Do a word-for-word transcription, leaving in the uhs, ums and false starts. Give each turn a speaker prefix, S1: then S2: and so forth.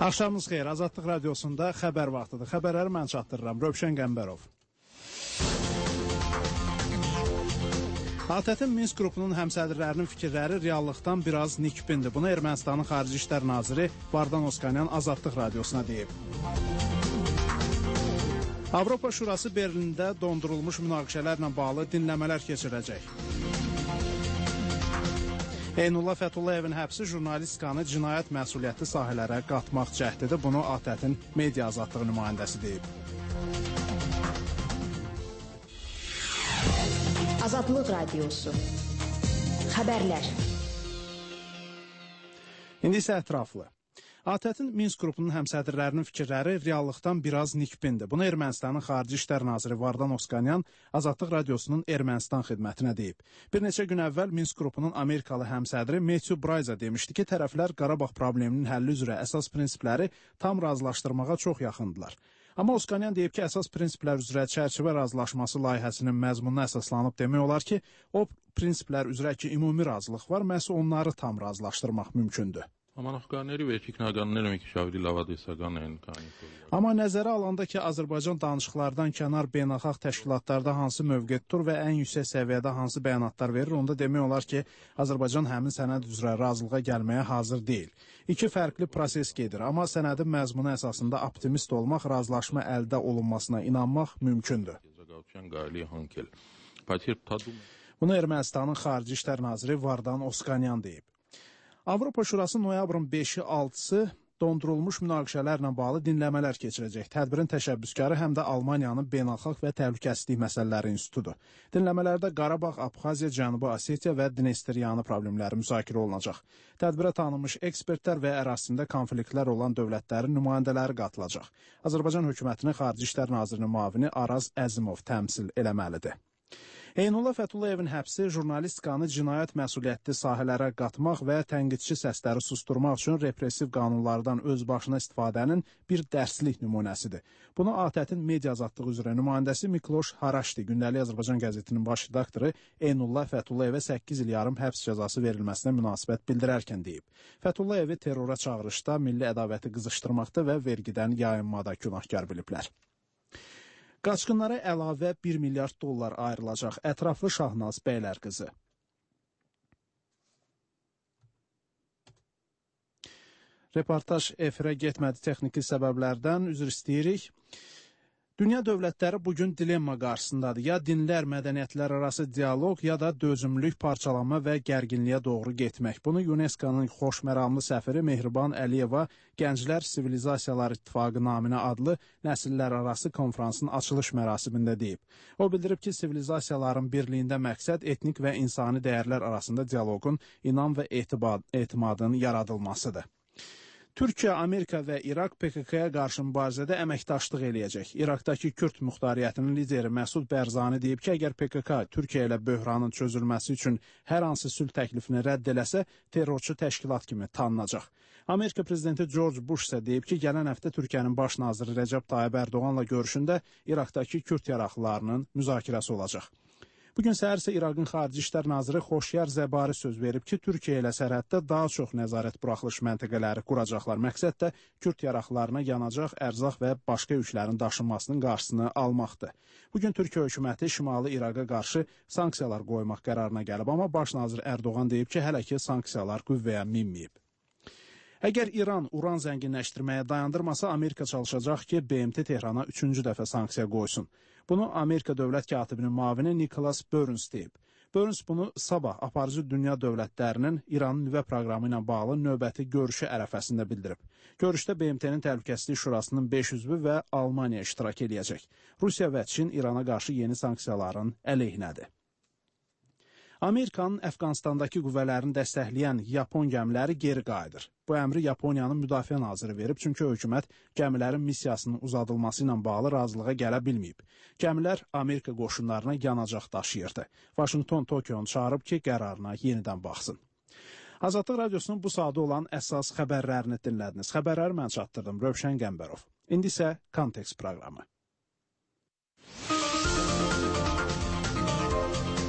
S1: Axşamınız xeyir, Azadlıq Radiosunda xəbər vaxtıdır. Xəbərləri mən çatdırıram, Rövşən Qəmbərov. ATƏT-in Minsk qrupunun həmsədrlərinin fikirləri reallıqdan biraz nikbindir. Bunu Ermənistanın Xarici İşlər Naziri Vardan Oskanyan Azadlıq Radiosuna deyib. Avropa Şurası Berlində dondurulmuş münaqişələrlə bağlı dinləmələr keçirəcək. Eynullah Fətullayevin həbsi jurnalistikanı cinayət məsuliyyətli sahələrə qatmaq cəhdidir. Bunu ATƏT-in media azadlığı nümayəndəsi deyib.
S2: Azadlıq Radiosu. Xəbərlər.
S1: İndi isə ətraflı. ATƏT-in Minsk qrupunun həmsədrlərinin fikirləri reallıqdan biraz nikbindir. Bunu Ermənistanın Xarici İşlər Naziri Vardan Oskanyan Azadlıq Radiosunun Ermənistan xidmətinə deyib. Bir neçə gün əvvəl Minsk qrupunun Amerikalı həmsədri Matthew Brayza demişdi ki, tərəflər Qarabağ probleminin həlli üzrə əsas prinsipləri tam razılaşdırmağa çox yaxındılar. Amma Oskanyan deyib ki, əsas prinsiplər üzrə çərçivə razılaşması layihəsinin məzmununa əsaslanıb demək olar ki, o prinsiplər üzrə ki, ümumi razılıq var, məhz onları tam razılaşdırmaq mümkündür. Amma nəzərə alanda ki, Azərbaycan danışıqlardan kənar beynəlxalq təşkilatlarda hansı mövqe tutur və ən yüksək səviyyədə hansı bəyanatlar verir, onda demək olar ki, Azərbaycan həmin sənəd üzrə razılığa gəlməyə hazır deyil. İki fərqli proses gedir, amma sənədin məzmunu əsasında optimist olmaq, razılaşma əldə olunmasına inanmaq mümkündür. Bunu Ermənistanın Xarici İşlər Naziri Vardan Oskanyan deyib. Avropa Şurası noyabrın beşi altısı dondurulmuş münaqişələrlə bağlı dinləmələr keçirəcək. Tədbirin təşəbbüskarı həm də Almaniyanın Beynəlxalq və Təhlükəsizlik Məsələləri İnstitutudur. Dinləmələrdə Qarabağ, Abxaziya, Cənubi Osetiya və Dnestriyanı problemləri müzakirə olunacaq. Tədbirə tanınmış ekspertlər və ərazisində konfliktlər olan dövlətlərin nümayəndələri qatılacaq. Azərbaycan hökumətinin Xarici İşlər Nazirinin müavini Araz Əzimov təmsil eləməlidir. Eynullah Fətullayevin həbsi jurnalistikanı cinayət məsuliyyətli sahələrə qatmaq və tənqidçi səsləri susturmaq üçün repressiv qanunlardan özbaşına istifadənin bir dərslik nümunəsidir. Bunu ATƏT-in media azadlığı üzrə nümayəndəsi Mikloş Haraşdi, Gündəlik Azərbaycan qəzetinin baş redaktoru Eynullah Fətullayevə səkkiz il yarım həbs cəzası verilməsinə münasibət bildirərkən deyib. Fətullayevi terrora çağırışda, milli ədavəti qızışdırmaqda və vergidən yayınmada günahkar biliblər. Qaçqınlara əlavə bir milyard dollar ayrılacaq. Ətraflı Şahnaz Bəylər qızı. Reportaj efirə getmədi texniki səbəblərdən, üzr istəyirik. Dünya dövlətləri bugün dilemma qarşısındadır. Ya dinlər, mədəniyyətlər arası dialoq, ya da dözümlülük, parçalanma və gərginliyə doğru getmək. Bunu UNESCO-nun xoşməramlı səfiri Mehriban Əliyeva Gənclər Sivilizasiyalar İttifaqı naminə adlı nəsillər arası konferansın açılış mərasimində deyib. O bildirib ki, sivilizasiyaların birliyində məqsəd etnik və insani dəyərlər arasında dialoqun, inam və etibad, etimadın yaradılmasıdır. Türkiyə, Amerika və İraq P K K-ya qarşı mübarizədə əməkdaşlıq eləyəcək. İraqdakı Kürd muxtariyyətinin lideri Məsud Bərzani deyib ki, əgər P K K Türkiyə ilə böhranın çözülməsi üçün hər hansı sülh təklifini rədd eləsə, terrorçu təşkilat kimi tanınacaq. Amerika prezidenti George Bush isə deyib ki, gələn həftə Türkiyənin baş naziri Rəcəb Tayyib Ərdoğanla görüşündə İraqdakı Kürd yaraqlılarının müzakirəsi olacaq. Bugün səhər isə İraqın Xarici İşlər Naziri Xoşyar Zəbari söz verib ki, Türkiyə ilə sərhəddə daha çox nəzarət buraxılış məntəqələri quracaqlar. Məqsəd də Kürd yaraqlarına yanacaq, ərzaq və başqa yüklərin daşınmasının qarşısını almaqdır. Bugün Türkiyə hökuməti Şimali İraqa qarşı sanksiyalar qoymaq qərarına gəlib, amma baş nazir Ərdoğan deyib ki, hələ ki sanksiyalar qüvvəyə minməyib. Əgər İran uran zənginləşdirməyə dayandırmasa, Amerika çalışacaq ki, B M T Tehrana üçüncü dəfə sanksiya qoysun. Bunu Amerika dövlət katibinin müavini Nicholas Burns deyib. Burns bunu sabah aparıcı dünya dövlətlərinin İranın nüvə proqramı ilə bağlı növbəti görüşü ərəfəsində bildirib. Görüşdə B M T-nin Təhlükəsizlik Şurasının beş üzvü və Almaniya iştirak eləyəcək. Rusiya və Çin İrana qarşı yeni sanksiyaların əleyhinədir. Amerikanın Əfqanistandakı qüvvələrini dəstəkləyən Yapon gəmiləri geri qayıdır. Bu əmri Yaponiyanın müdafiə naziri verib, çünki hökumət gəmilərin missiyasının uzadılması ilə bağlı razılığa gələ bilməyib. Gəmilər Amerika qoşunlarına yanacaq daşıyırdı. Vaşinqton Tokionu çağırıb ki, qərarına yenidən baxsın. Azadlıq Radiosunun bu saatda olan əsas xəbərlərini dinlədiniz. Xəbərləri mən çatdırdım, Rövşən Qəmbərov. İndi isə Kontekst proqramı.